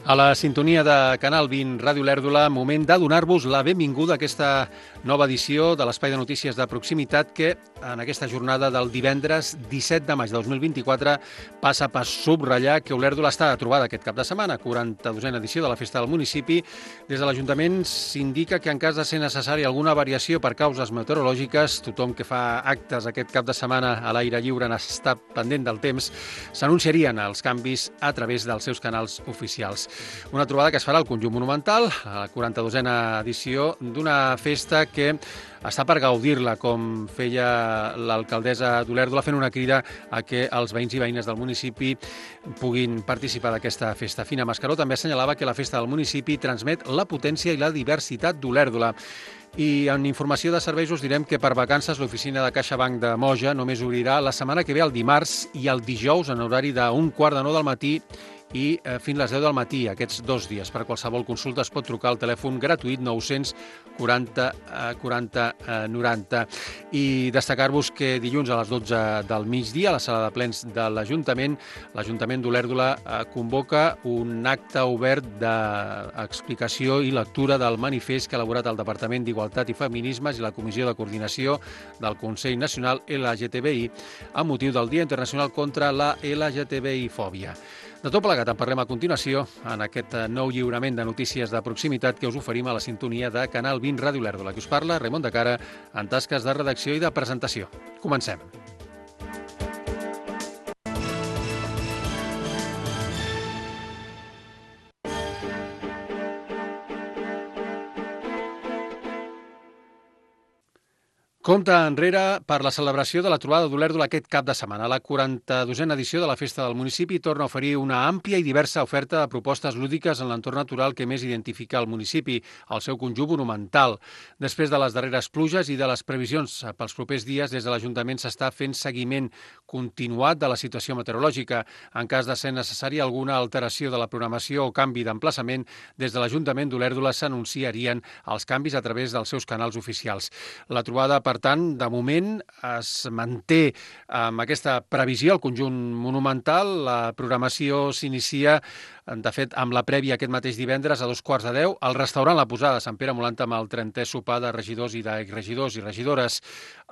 A la sintonia de Canal 20 Ràdio Lèrdula, moment de donar-vos la benvinguda a aquesta nova edició de l'Espai de Notícies de Proximitat que en aquesta jornada del divendres 17 de maig de 2024 passa per subratllar que Olèrdola està de trobada aquest cap de setmana, 42a edició de la Festa del Municipi. Des de l'Ajuntament s'indica que en cas de ser necessari alguna variació per causes meteorològiques, tothom que fa actes aquest cap de setmana a l'aire lliure n'està pendent del temps, s'anunciarien els canvis a través dels seus canals oficials. Una trobada que es farà al Conjunt Monumental, a la 42a edició d'una festa que està per gaudir-la, com feia l'alcaldessa d'Olèrdola, fent una crida a que els veïns i veïnes del municipi puguin participar d'aquesta festa. Fina Mascaró també assenyalava que la festa del municipi transmet la potència i la diversitat d'Olèrdola. I en informació de serveis us direm que per vacances l'oficina de CaixaBank de Moja només obrirà la setmana que ve el dimarts i el dijous en horari d'1:45 del matí i fins les 10 del matí, aquests 2 dies. Per qualsevol consulta es pot trucar al telèfon gratuït 940 40 90. I destacar-vos que dilluns a les 12 del migdia, a la sala de plens de l'Ajuntament d'Olèrdola convoca un acte obert d'explicació i lectura del manifest que ha elaborat el Departament d'Igualtat i Feminismes i la Comissió de Coordinació del Consell Nacional LGTBI amb motiu del Dia Internacional contra la LGTBI-fòbia. De tot plegat en parlem a continuació en aquest nou lliurament de notícies de proximitat que us oferim a la sintonia de Canal 20 Ràdio Lèrdula. Que us parla Raimon de Cara en tasques de redacció i de presentació. Comencem. Compte enrere per la celebració de la trobada d'Olèrdola aquest cap de setmana. La 42a edició de la Festa del Municipi torna a oferir una àmplia i diversa oferta de propostes lúdiques en l'entorn natural que més identifica el municipi, el seu conjunt monumental. Després de les darreres pluges i de les previsions pels propers dies, des de l'Ajuntament s'està fent seguiment continuat de la situació meteorològica. En cas de ser necessari alguna alteració de la programació o canvi d'emplaçament, des de l'Ajuntament d'Olèrdola s'anunciarien els canvis a través dels seus canals oficials. La trobada, per tant, de moment es manté amb aquesta previsió al conjunt monumental. La programació s'inicia, de fet, amb la prèvia aquest mateix divendres a 2:15 al restaurant La Posada de Sant Pere Molant amb el 30è sopar de regidors i d'exregidors i regidores.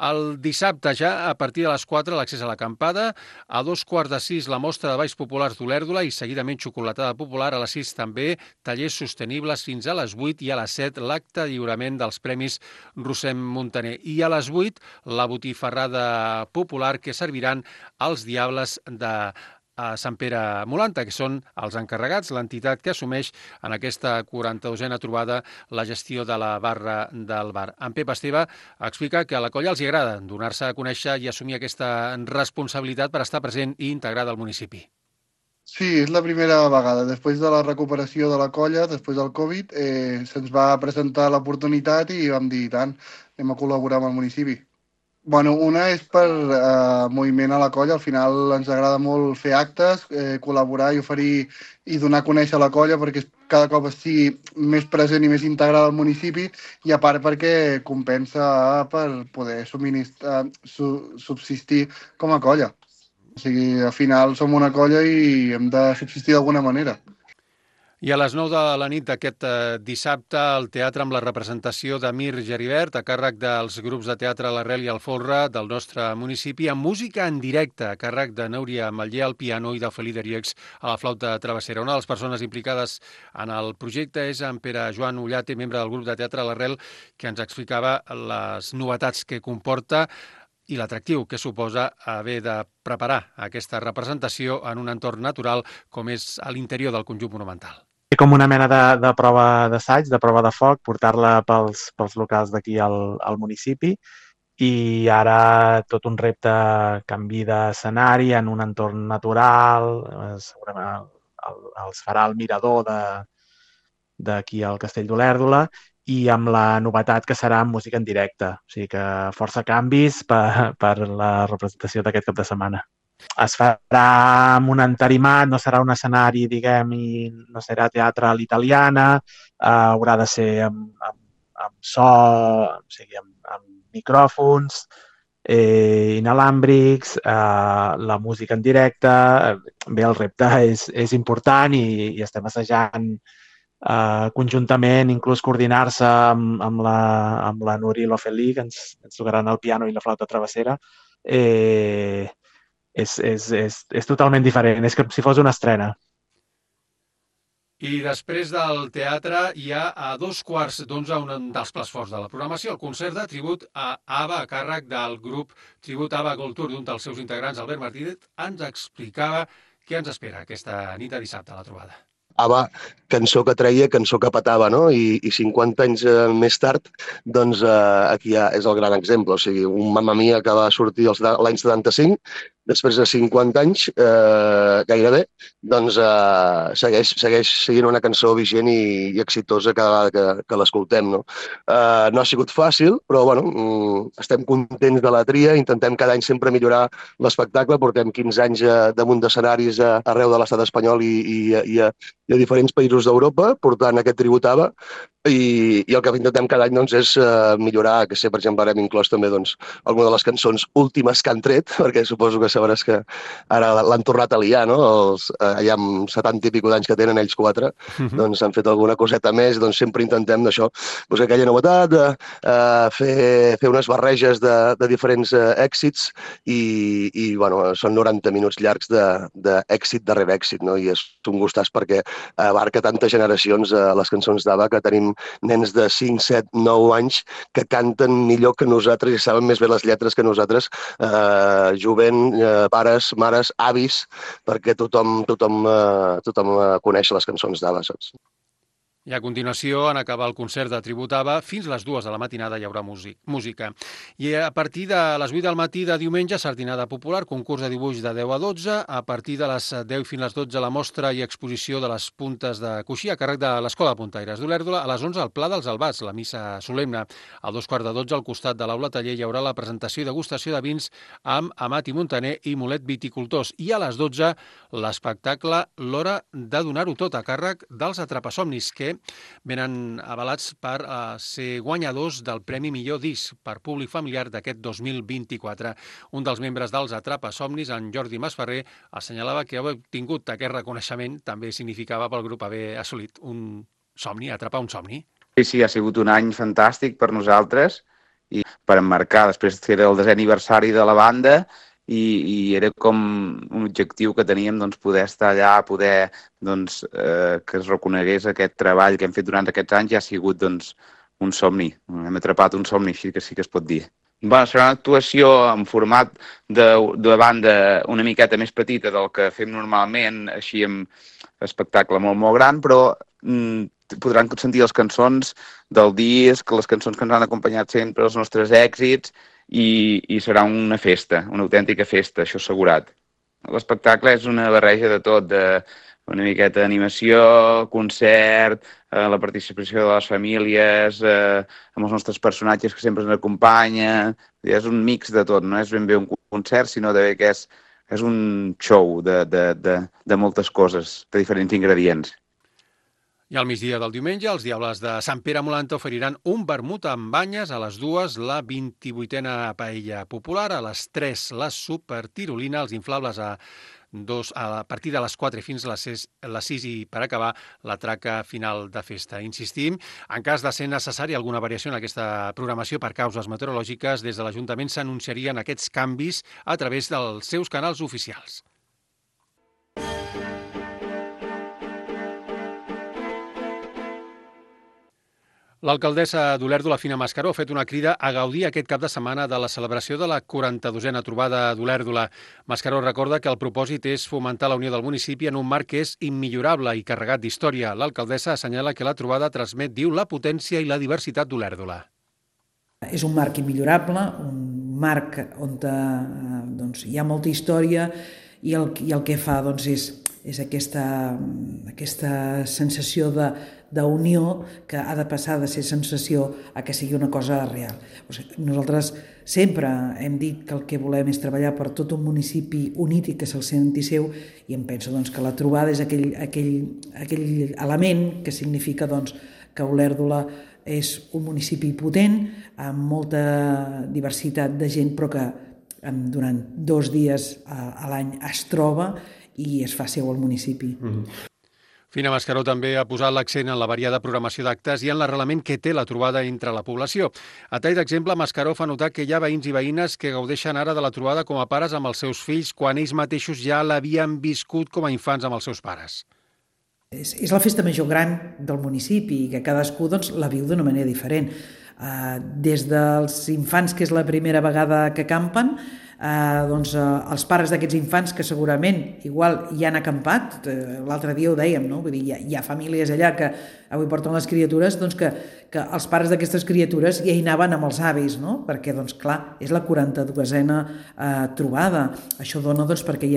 El dissabte, ja a partir de les 4, l'accés a l'acampada, a 2:15 la mostra de balls populars d'Olèrdola i seguidament xocolatada popular, a les 6 també tallers sostenibles fins a les 8 i a les 7 l'acte de lliurament dels Premis Rossem Montaner. I a les 8 la botifarrada popular que serviran els Diables de Sant Pere Molanta, que són els encarregats, l'entitat que assumeix en aquesta 42a trobada la gestió de la barra del bar. En Pep Esteve explica que a la colla els agrada donar-se a conèixer i assumir aquesta responsabilitat per estar present i integrada al municipi. Sí, és la primera vegada. Després de la recuperació de la colla, després del Covid, se'ns va presentar l'oportunitat i vam dir, tant, anem a col·laborar amb el municipi. Bueno, una és per moviment a la colla. Al final ens agrada molt fer actes, col·laborar i oferir i donar a conèixer la colla perquè cada cop estigui més present i més integrada al municipi i a part perquè compensa per poder subsistir com a colla. O sigui, al final som una colla i hem de subsistir d'alguna manera. I a les 9 de la nit d'aquest dissabte, al teatre amb la representació de Mir Geribert, a càrrec dels grups de teatre L'Arrel i el Folre del nostre municipi, amb música en directe, a càrrec de Núria Matller al piano i de Felí Derieux a la flauta travessera. Una de les persones implicades en el projecte és en Pere Joan Ullate, membre del grup de teatre L'Arrel, que ens explicava les novetats que comporta i l'atractiu que suposa haver de preparar aquesta representació en un entorn natural com és a l'interior del conjunt monumental. Com una mena de prova d'assaig, de prova de foc, portar-la pels locals d'aquí al municipi i ara tot un repte, canvi d'escenari en un entorn natural, segurament els farà el mirador d'aquí al Castell d'Olèrdola i amb la novetat que serà amb música en directe. O sigui que força canvis per la representació d'aquest cap de setmana. Es farà amb un entarimat, no serà un escenari, diguem, i no serà teatre a l'italiana, haurà de ser amb so, o sigui, amb micròfons, inalàmbrics, la música en directe. Bé, el repte és important i estem assajant conjuntament, inclús coordinar-se amb la Nuri i l'Ofeli, que ens tocaran el piano i la flauta travessera. És totalment diferent, és com si fos una estrena. I després del teatre hi ha a 14:15 un dels plats forts de la programació, el concert de tribut a ABBA a càrrec del grup Tribut ABBA Gold Tour. Un dels seus integrants, Albert Martínez, ens explicava què ens espera aquesta nit de dissabte a la trobada. ABBA, cançó que treia, cançó que petava, no? I 50 anys més tard, doncs aquí és el gran exemple. O sigui, un Mamma Mia que va sortir l'any 75, després de 50 anys, gairebé, doncs segueix sent una cançó vigent i exitosa cada vegada que l'escoltem, no? No ha sigut fàcil, però bueno, estem contents de la tria, intentem cada any sempre millorar l'espectacle, portem 15 anys damunt d'escenaris arreu de l'estat espanyol i a diferents països d'Europa, portant aquest tribut ABBA, i el que intentem cada any doncs, és millorar, que sé, per exemple, ara hem inclòs també doncs, alguna de les cançons últimes que han tret, perquè suposo que sabràs que ara l'han tornat a liar, no? Allà amb 70 i pico d'anys que tenen ells 4, doncs han fet alguna coseta més, doncs sempre intentem d'això, doncs aquella novetat, fer unes barreges de diferents èxits i bueno, són 90 minuts llargs d'èxit darrere èxit, no? I és un gustàs perquè abarca tantes generacions les cançons d'ABBA que tenim nens de 5, 7, 9 anys que canten millor que nosaltres i saben més bé les lletres que nosaltres, jovent, pares, mares, avis, perquè tothom coneix les cançons d'ABBA, saps? I a continuació, en acabar el concert de tribut ABBA, fins les 2 de la matinada hi haurà música. I a partir de les 8 del matí de diumenge, sardinada popular, concurs de dibuix de 10 a 12, a partir de les 10 fins a les 12 la mostra i exposició de les puntes de coixí a càrrec de l'Escola Puntaires d'Olèrdola, a les 11 al Pla dels Albats, la missa solemne. A 2:15 al costat de l'aula taller hi haurà la presentació i degustació de vins amb Amat i Montaner i Molet Viticultors. I a les 12 l'espectacle L'Hora de donar-ho tot a càrrec dels Atrapasomnis, que venen avalats per ser guanyadors del Premi Millor Disc per públic familiar d'aquest 2024. Un dels membres dels Atrapasomnis, en Jordi Masferrer, assenyalava que haver obtingut aquest reconeixement també significava pel grup haver assolit un somni, atrapar un somni. Sí, ha sigut un any fantàstic per nosaltres i per emmarcar, després era el 10è aniversari de la banda i era com un objectiu que teníem, doncs, poder estar allà, poder doncs, que es reconegués aquest treball que hem fet durant aquests anys. Ja ha sigut doncs, un somni, hem atrapat un somni, així que sí que es pot dir. Bueno, serà una actuació en format de banda una miqueta més petita del que fem normalment, així amb espectacle molt gran, però podran sentir les cançons del disc, les cançons que ens han acompanyat sempre, els nostres èxits, i serà una festa, una autèntica festa, això assegurat. L'espectacle és una barreja de tot, una miqueta d'animació, concert, la participació de les famílies, amb els nostres personatges que sempre ens acompanyen. És un mix de tot, no és ben bé un concert, sinó que és un show de moltes coses, de diferents ingredients. I al migdia del diumenge, els Diables de Sant Pere Molanta oferiran un vermut amb banyes, a les 2 la 28a paella popular, a les 3 la supertirolina, els inflables a partir de les 4 fins a les 6 i per acabar la traca final de festa. Insistim, en cas de ser necessari alguna variació en aquesta programació per causes meteorològiques, des de l'Ajuntament s'anunciarien aquests canvis a través dels seus canals oficials. L'alcaldessa d'Olèrdola, Fina Mascaró, ha fet una crida a gaudir aquest cap de setmana de la celebració de la 42a trobada d'Olèrdola. Mascaró recorda que el propòsit és fomentar la unió del municipi en un marc que és immillorable i carregat d'història. L'alcaldessa assenyala que la trobada transmet, diu, la potència i la diversitat d'Olèrdola. És un marc immillorable, un marc on doncs, hi ha molta història i el que fa doncs, és aquesta sensació d'unió que ha de passar de ser sensació a que sigui una cosa real. O sigui, nosaltres sempre hem dit que el que volem és treballar per tot un municipi unit i que se'l senti seu, i em penso doncs, que la trobada és aquell element que significa doncs, que Olèrdola és un municipi potent, amb molta diversitat de gent, però que durant 2 dies a l'any es troba i es fa seu al municipi. Fina Mascaró també ha posat l'accent en la variada programació d'actes i en l'arrelament que té la trobada entre la població. A tall d'exemple, Mascaró fa notar que hi ha veïns i veïnes que gaudeixen ara de la trobada com a pares amb els seus fills quan ells mateixos ja l'havien viscut com a infants amb els seus pares. És la festa major gran del municipi i que cadascú la viu d'una manera diferent. Des dels infants, que és la primera vegada que campen, els pares d'aquests infants que segurament igual hi han acampat, l'altre dia ho dèiem, no? Vull dir, hi ha famílies allà que avui porten les criatures, que els pares d'aquestes criatures ja hi anaven amb els avis, no? Perquè, clar, és la 42a trobada. Això dona perquè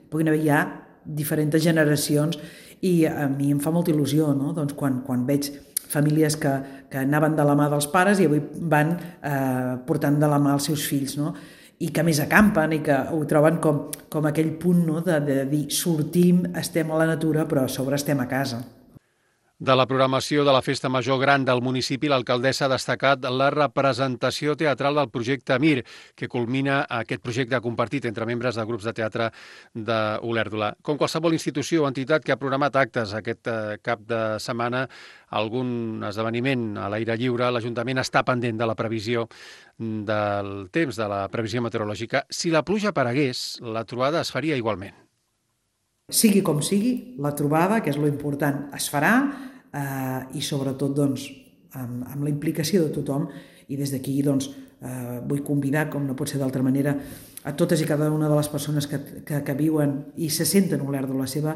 puguin haver ja diferents generacions i a mi em fa molta il·lusió, no? Quan veig famílies que anaven de la mà dels pares i avui van portant de la mà els seus fills, no? I que més acampen i que ho troben com aquell punt, no? de dir sortim, estem a la natura, però a sobre estem a casa. De la programació de la Festa Major Gran del municipi, l'alcaldessa ha destacat la representació teatral del projecte Mir, que culmina aquest projecte compartit entre membres de grups de teatre d'Olèrdola. Com qualsevol institució o entitat que ha programat actes aquest cap de setmana, algun esdeveniment a l'aire lliure, l'Ajuntament està pendent de la previsió del temps, de la previsió meteorològica. Si la pluja aparegués, la trobada es faria igualment. Sigui com sigui, la trobada, que és lo important, es farà i sobretot amb la implicació de tothom i des d'aquí vull convidar, com no pot ser d'altra manera, a totes i cada una de les persones que viuen i se senten Olèrdola seva,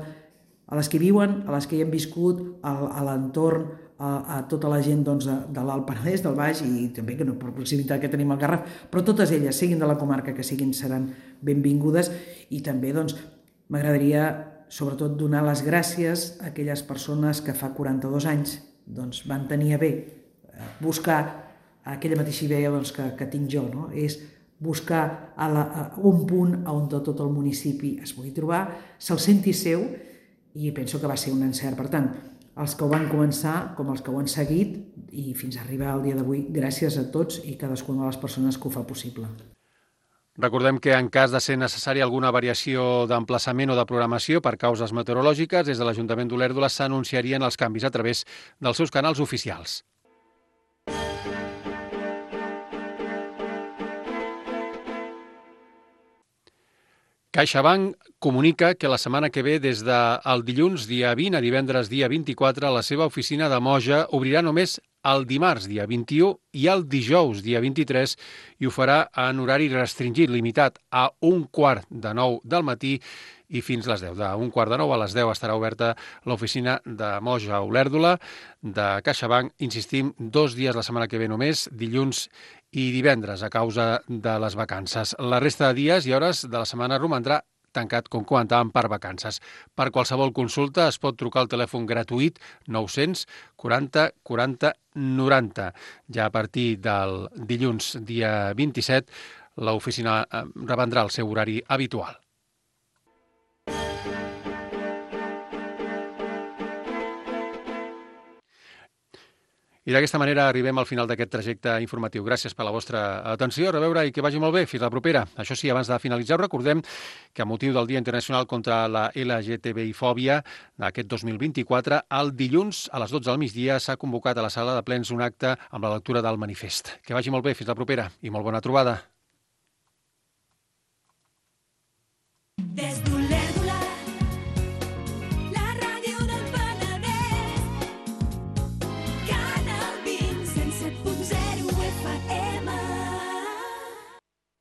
a les que viuen, a les que hi han viscut, a l'entorn, a tota la gent de l'Alt Penedès, del Baix i també per proximitat que tenim al Garraf, però totes elles, siguin de la comarca que siguin, seran benvingudes i també m'agradaria, sobretot, donar les gràcies a aquelles persones que fa 42 anys van tenir a bé buscar aquella mateixa idea que tinc jo, no? És buscar un punt on tot el municipi es pugui trobar, se'l senti seu i penso que va ser un encert. Per tant, els que ho van començar com els que ho han seguit i fins a arribar al dia d'avui, gràcies a tots i cadascuna de les persones que ho fa possible. Recordem que en cas de ser necessària alguna variació d'emplaçament o de programació per causes meteorològiques, des de l'Ajuntament d'Olèrdola s'anunciarien els canvis a través dels seus canals oficials. CaixaBank comunica que la setmana que ve, des del dilluns dia 20 a divendres dia 24, la seva oficina de Moja obrirà només el dimarts dia 21 i el dijous dia 23 i ho farà en horari restringit, limitat a 8:45 del matí i fins les 10. De 8:45 a les 10 estarà oberta l'oficina de Moja a Olèrdola de CaixaBank. Insistim, 2 dies la setmana que ve només, dilluns i divendres, a causa de les vacances. La resta de dies i hores de la setmana romandrà tancat, com comentàvem, per vacances. Per qualsevol consulta es pot trucar al telèfon gratuït 900 40 40 90. Ja a partir del dilluns dia 27, l'oficina reprendrà el seu horari habitual. I d'aquesta manera arribem al final d'aquest trajecte informatiu. Gràcies per la vostra atenció, a reveure i que vagi molt bé. Fins la propera. Això sí, abans de finalitzar, recordem que a motiu del Dia Internacional contra la LGTBI-fòbia d'aquest 2024, el dilluns a les 12 del migdia s'ha convocat a la sala de plens un acte amb la lectura del manifest. Que vagi molt bé, fins la propera i molt bona trobada.